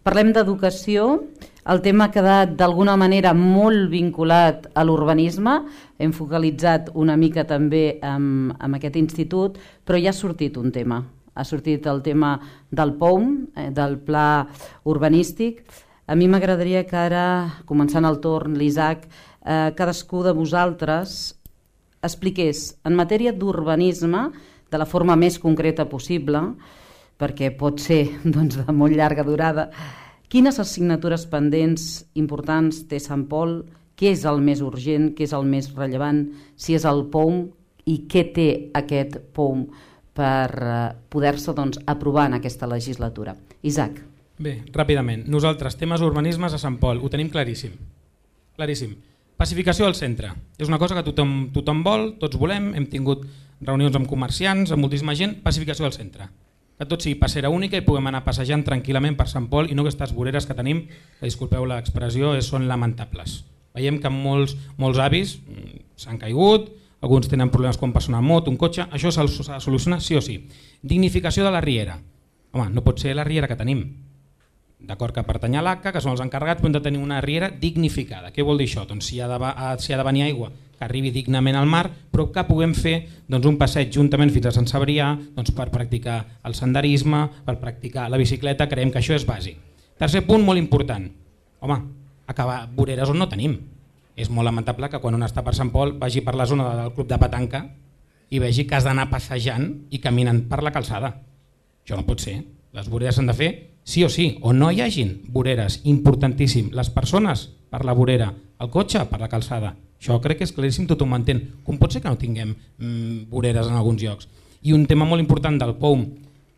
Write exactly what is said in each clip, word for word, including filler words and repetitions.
Parlem d'educació. El tema ha quedat d'alguna manera molt vinculat a l'urbanisme. Hem focalitzat una mica també amb, amb aquest institut, però ja ha sortit un tema. Ha sortit el tema del P O U M, eh, del Pla Urbanístic. A mi m'agradaria que ara, començant el torn, l'Isaac, eh, cadascú de vosaltres expliqués en matèria d'urbanisme, de la forma més concreta possible, perquè pot ser doncs, de molt llarga durada, quines assignatures pendents importants té Sant Pol, què és el més urgent, què és el més rellevant, si és el P O U M i què té aquest P O U M per eh, poder-se doncs, aprovar en aquesta legislatura. Isaac. Bé, ràpidament. Nosaltres, temes urbanismes a Sant Pol, ho tenim claríssim. Claríssim. Pacificació al centre. És una cosa que tothom, tothom vol, tots volem, hem tingut reunions amb comerciants, amb moltíssima gent, pacificació al centre. Que tot sigui passera única i puguem anar passejant tranquil·lament per Sant Pol i no aquestes voreres que tenim, que disculpeu l'expressió, són lamentables. Veiem que molts, molts avis s'han caigut, alguns tenen problemes quan passen una moto, un cotxe, això s'ha de solucionar sí o sí. Dignificació de la riera. Home, no pot ser la riera que tenim. D'acord que pertany a l'A C A, que són els encarregats, però hem de tenir una riera dignificada. Què vol dir això? Doncs si ha de, si ha de venir aigua, que arribi dignament al mar, però que puguem fer doncs, un passeig juntament fins a Sant Cebrià doncs, per practicar el senderisme, per practicar la bicicleta, creiem que això és bàsic. Tercer punt molt important, home, acabar voreres on no tenim. És molt lamentable que quan un està per Sant Pol vagi per la zona del club de petanca i vegi que has d'anar passejant i caminant per la calçada. Això no pot ser. Les voreres s'han de fer sí o sí, o no hi hagin voreres, importantíssim. Les persones per la vorera, el cotxe per la calçada. Això crec que és claríssim, tothom ho entén. Com pot ser que no tinguem mm, voreres en alguns llocs? I un tema molt important del P O U M,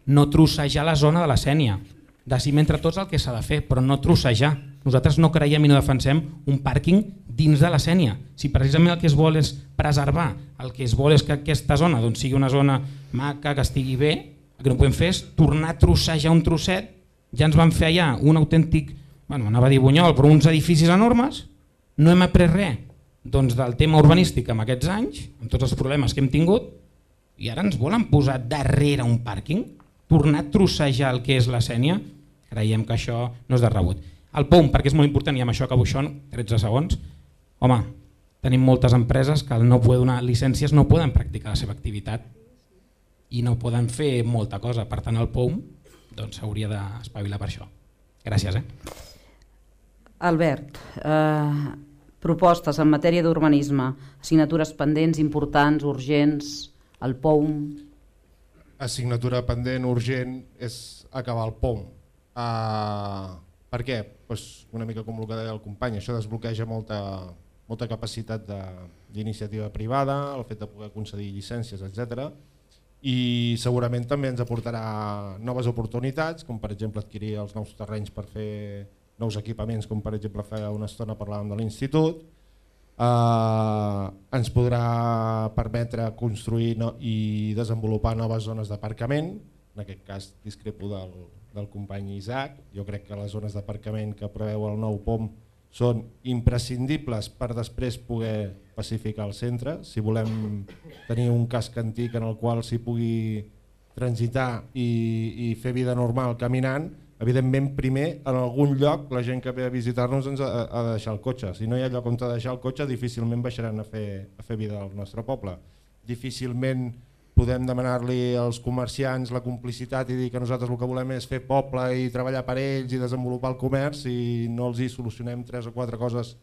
no trossejar la zona de la Sénia. Decidim entre tots el que s'ha de fer, però no trossejar. Nosaltres no creiem i no defensem un pàrquing dins de la Sénia. Si precisament el que es vol és preservar, el que es vol és que aquesta zona doncs, sigui una zona maca, que estigui bé, el que no podem fer és tornar a trossejar un trosset. Ja ens van fer allà un autèntic, bueno, anava a dir bunyol, però uns edificis enormes, no hem après res doncs, del tema urbanístic en aquests anys, amb tots els problemes que hem tingut, i ara ens volen posar darrere un pàrquing, tornar a trossejar el que és la Sénia, creiem que això no és de rebut. El P O U M, perquè és molt important, i amb això acabo això en tretze segons, home, tenim moltes empreses que al no poder donar llicències no poden practicar la seva activitat i no poden fer molta cosa, per tant el P O U M doncs s'hauria d'espavilar per això. Gràcies. Eh? Albert, eh, propostes en matèria d'urbanisme, assignatures pendents, importants, urgents, el P O U M... Assignatura pendent, urgent, és acabar el P O U M. Uh, per què? Pues una mica com el que deia el company, això desbloqueja molta, molta capacitat d'iniciativa privada, el fet de poder concedir llicències, etcètera. I segurament també ens aportarà noves oportunitats, com per exemple adquirir els nous terrenys per fer nous equipaments, com per exemple fa una estona parlàvem de l'institut. Eh, ens podrà permetre construir no, i desenvolupar noves zones d'aparcament, en aquest cas discrepo del, del company Isaac, jo crec que les zones d'aparcament que preveu el nou P O M són imprescindibles per després poder pacificar el centre. Si volem tenir un casc antic en el qual s'hi pugui transitar i, i fer vida normal caminant, evidentment primer en algun lloc la gent que ve a visitar-nos ens ha, ha de deixar el cotxe. Si no hi ha lloc on ha de deixar el cotxe, difícilment baixaran a fer, a fer vida al nostre poble. Difícilment podem demanar-li als comerciants la complicitat i dir que nosaltres el que volem és fer poble i treballar per ells i desenvolupar el comerç i no els hi solucionem tres o quatre coses,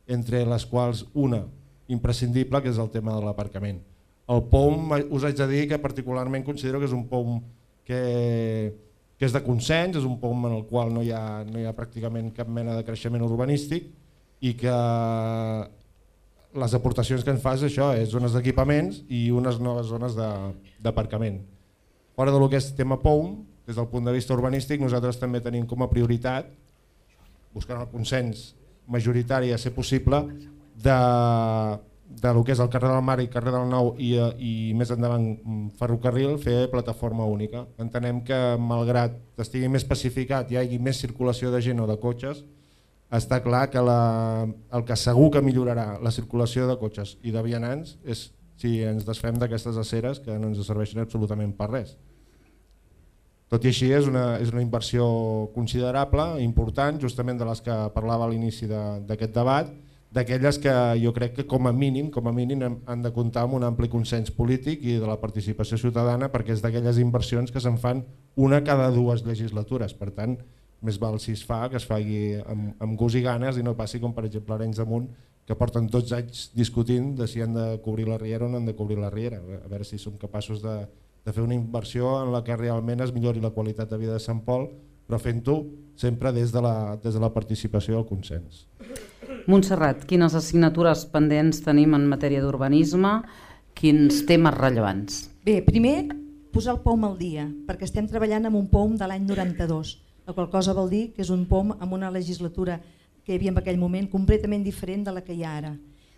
entre les quals una imprescindible, que és el tema de l'aparcament. El P O U M us haig de dir que particularment considero que és un P O U M que, que és de consens, és un P O U M en el qual no hi ha, no hi ha pràcticament cap mena de creixement urbanístic i que les aportacions que ens fa és això, és zones d'equipaments i unes noves zones d'aparcament. Fora del que és tema P O U M, des del punt de vista urbanístic, nosaltres també tenim com a prioritat, buscant el consens majoritari a ser possible, de, de lo que és el carrer del Mar i carrer del Nou i, i més endavant ferrocarril, fer plataforma única. Entenem que malgrat estigui més pacificat i hi hagi més circulació de gent o de cotxes, està clar que la, el que segur que millorarà la circulació de cotxes i de vianants és si ens desfem d'aquestes aceres que no ens serveixen absolutament per res. Tot i així és una, és una inversió considerable, important, justament de les que parlava a l'inici d'aquest debat, d'aquelles que jo crec que com a mínim com a mínim han de comptar amb un ampli consens polític i de la participació ciutadana, perquè és d'aquelles inversions que se'n fan una cada dues legislatures. Per tant, més val si es fa que es faci amb, amb gust i ganes i no passi com per exemple Arenys de Munt, que porten dotze anys discutint de si han de cobrir la riera o no han de cobrir la riera. A veure si som capaços de, de fer una inversió en la que realment es millori la qualitat de vida de Sant Pol, però fent-ho sempre des de, la, des de la participació i el consens. Montserrat, quines assignatures pendents tenim en matèria d'urbanisme? Quins temes rellevants? Bé, primer posar el P O M al dia, perquè estem treballant amb un P O M de l'any noranta-dos, la qual cosa vol dir que és un P O M amb una legislatura que hi havia en aquell moment completament diferent de la que hi ha ara.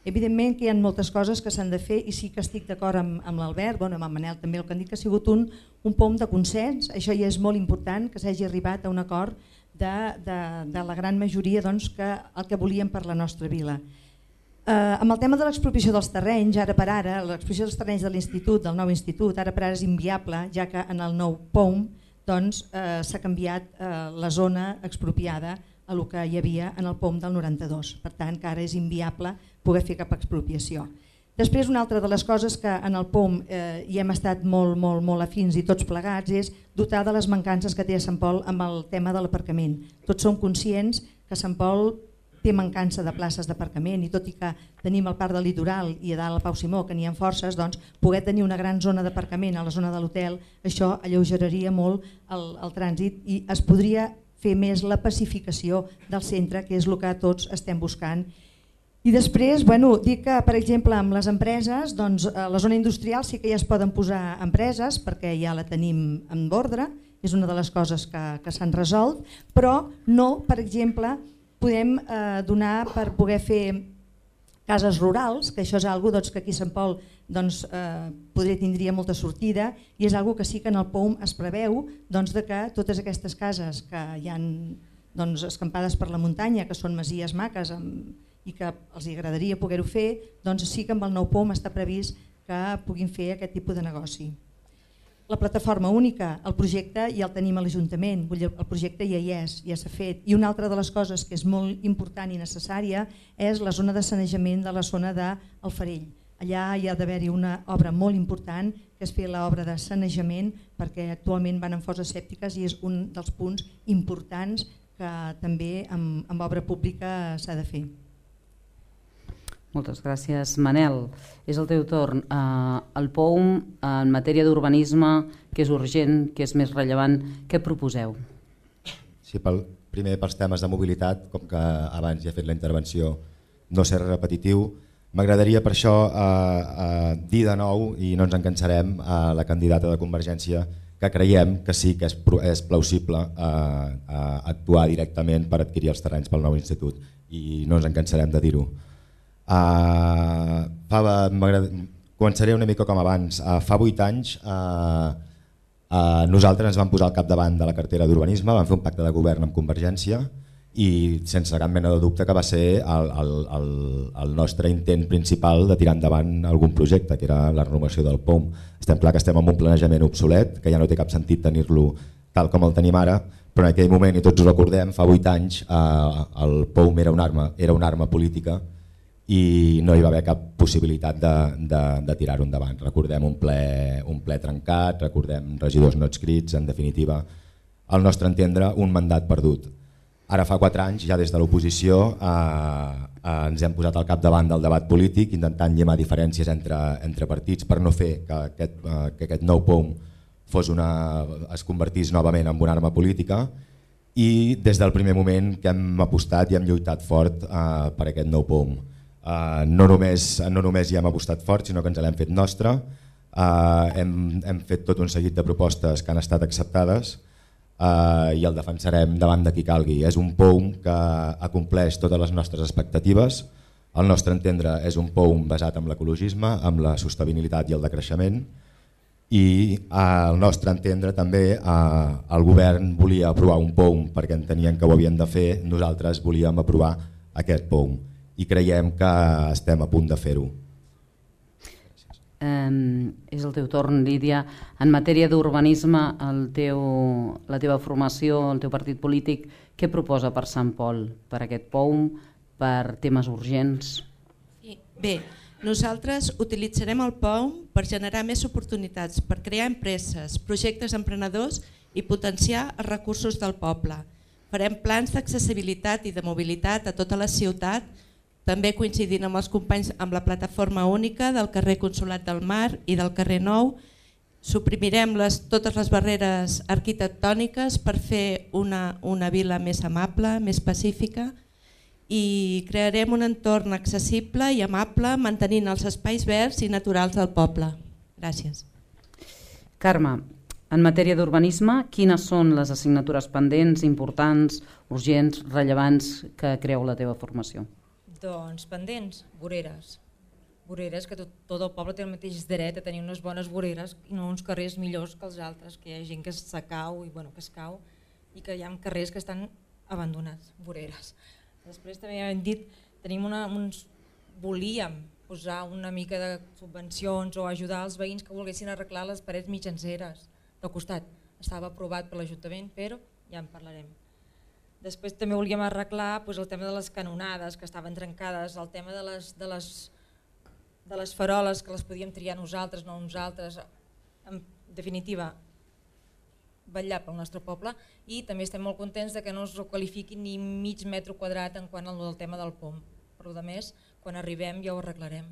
Evidentment que hi ha moltes coses que s'han de fer i sí que estic d'acord amb, amb l'Albert, bueno, amb en Manel també, el que han dit que ha sigut un, un P O M de consens, això ja és molt important que s'hagi arribat a un acord de, de, de la gran majoria doncs, que el que volíem per la nostra vila. Eh, amb el tema de l'expropiació dels terrenys, ara per ara, l'expropiació dels terrenys de l'institut, del nou institut, ara per ara és inviable, ja que en el nou P O M doncs, eh, s'ha canviat eh, la zona expropiada a el que hi havia en el P O M del noranta-dos. Per tant, que ara és inviable poder fer cap expropiació. Després, una altra de les coses que en el P O M eh, hi hem estat molt, molt, molt afins i tots plegats és dotar de les mancances que té Sant Pol amb el tema de l'aparcament. Tots som conscients que Sant Pol té mancança de places d'aparcament i tot i que tenim el parc del litoral i a dalt al Pau Simó que n'hi ha forces, doncs, poder tenir una gran zona d'aparcament a la zona de l'hotel, això alleugeraria molt el, el trànsit i es podria fer més la pacificació del centre, que és el que tots estem buscant. I després, bueno, dir que, per exemple, amb les empreses, doncs, a la zona industrial sí que ja es poden posar empreses perquè ja la tenim en ordre, és una de les coses que, que s'han resolt, però no, per exemple, podem eh, donar per poder fer cases rurals, que això és algo doncs, que aquí a Sant Pol doncs, eh, podria tindria molta sortida i és algo que sí que en el P O M es preveu doncs, de que totes aquestes cases que hi ha doncs, escampades per la muntanya, que són masies maques amb, i que els agradaria poder-ho fer, doncs sí que amb el nou P O M està previst que puguin fer aquest tipus de negoci. La plataforma única, el projecte ja el tenim a l'Ajuntament, el projecte ja hi és, ja s'ha fet. I una altra de les coses que és molt important i necessària és la zona de sanejament de la zona del Farell. Allà hi ha d'haver-hi una obra molt important, que és fer l'obra de sanejament, perquè actualment van en fosses sèptiques i és un dels punts importants que també amb, amb obra pública s'ha de fer. Moltes gràcies. Manel, és el teu torn. Uh, el P O M en matèria d'urbanisme, que és urgent, que és més rellevant, què proposeu? Sí, pel, primer pels temes de mobilitat, com que abans ja he fet la intervenció, no ser repetitiu, m'agradaria per això uh, uh, dir de nou, i no ens en cansarem, a la candidata de Convergència, que creiem que sí que és, és plausible uh, uh, actuar directament per adquirir els terrenys pel nou institut, i no ens en cansarem de dir-ho. Uh, fa, començaré una mica com abans. Uh, fa vuit anys uh, uh, nosaltres ens vam posar al capdavant de la cartera d'urbanisme, vam fer un pacte de govern amb Convergència i sense cap mena de dubte que va ser el, el, el, el nostre intent principal de tirar endavant algun projecte, que era la renovació del P O M. Estem clar que estem en un planejament obsolet, que ja no té cap sentit tenir-lo tal com el tenim ara, però en aquell moment, i tots ho recordem, fa vuit anys uh, el P O M era una arma, era una arma política i no hi va haver cap possibilitat de, de, de tirar-ho endavant. Recordem un ple, un ple trencat, recordem regidors no adscrits, en definitiva, al nostre entendre, un mandat perdut. Ara fa quatre anys, ja des de l'oposició, eh, eh, ens hem posat al capdavant del debat polític, intentant llimar diferències entre, entre partits per no fer que aquest, eh, que aquest nou P O M fos una, es convertís novament en una arma política, i des del primer moment que hem apostat i hem lluitat fort eh, per aquest nou P O M. Uh, no, només, no només hi hem apostat fort, sinó que ens l'hem fet nostra. Uh, hem, hem fet tot un seguit de propostes que han estat acceptades uh, i el defensarem davant de qui calgui. És un P O M que acompleix totes les nostres expectatives. Al nostre entendre és un P O M basat en l'ecologisme, en la sostenibilitat i el decreixement, i al nostre entendre també uh, el govern volia aprovar un P O M perquè entenien que ho havien de fer, nosaltres volíem aprovar aquest P O M. I creiem que estem a punt de fer-ho. Eh, és el teu torn, Lídia. En matèria d'urbanisme, el teu, la teva formació, el teu partit polític, què proposa per Sant Pol, per aquest P O M, per temes urgents? Sí. Bé, nosaltres utilitzarem el P O M per generar més oportunitats, per crear empreses, projectes emprenedors i potenciar els recursos del poble. Farem plans d'accessibilitat i de mobilitat a tota la ciutat, també coincidint amb els companys amb la plataforma única del carrer Consolat del Mar i del carrer Nou. Suprimirem les, totes les barreres arquitectòniques per fer una, una vila més amable, més pacífica, i crearem un entorn accessible i amable mantenint els espais verds i naturals del poble. Gràcies. Carme, en matèria d'urbanisme, quines són les assignatures pendents, importants, urgents, rellevants que creu la teva formació? Doncs pendents, voreres. Voreres, que tot, tot el poble té el mateix dret a tenir unes bones voreres i no uns carrers millors que els altres, que hi ha gent que se cau i bueno, que es cau i que hi ha carrers que estan abandonats, voreres. Després també hem dit, tenim una, uns, volíem posar una mica de subvencions o ajudar els veïns que volguessin arreglar les parets mitjanceres del costat. Estava aprovat per l'Ajuntament, però ja en parlarem. Després també volíem arreglar doncs, el tema de les canonades que estaven trencades, el tema de les, de les, de les faroles que les podíem triar nosaltres, no uns altres. En definitiva, vetllar pel nostre poble i també estem molt contents de que no es qualifiqui ni mig metre quadrat en quant al tema del P O M. Per a més, quan arribem ja ho arreglarem.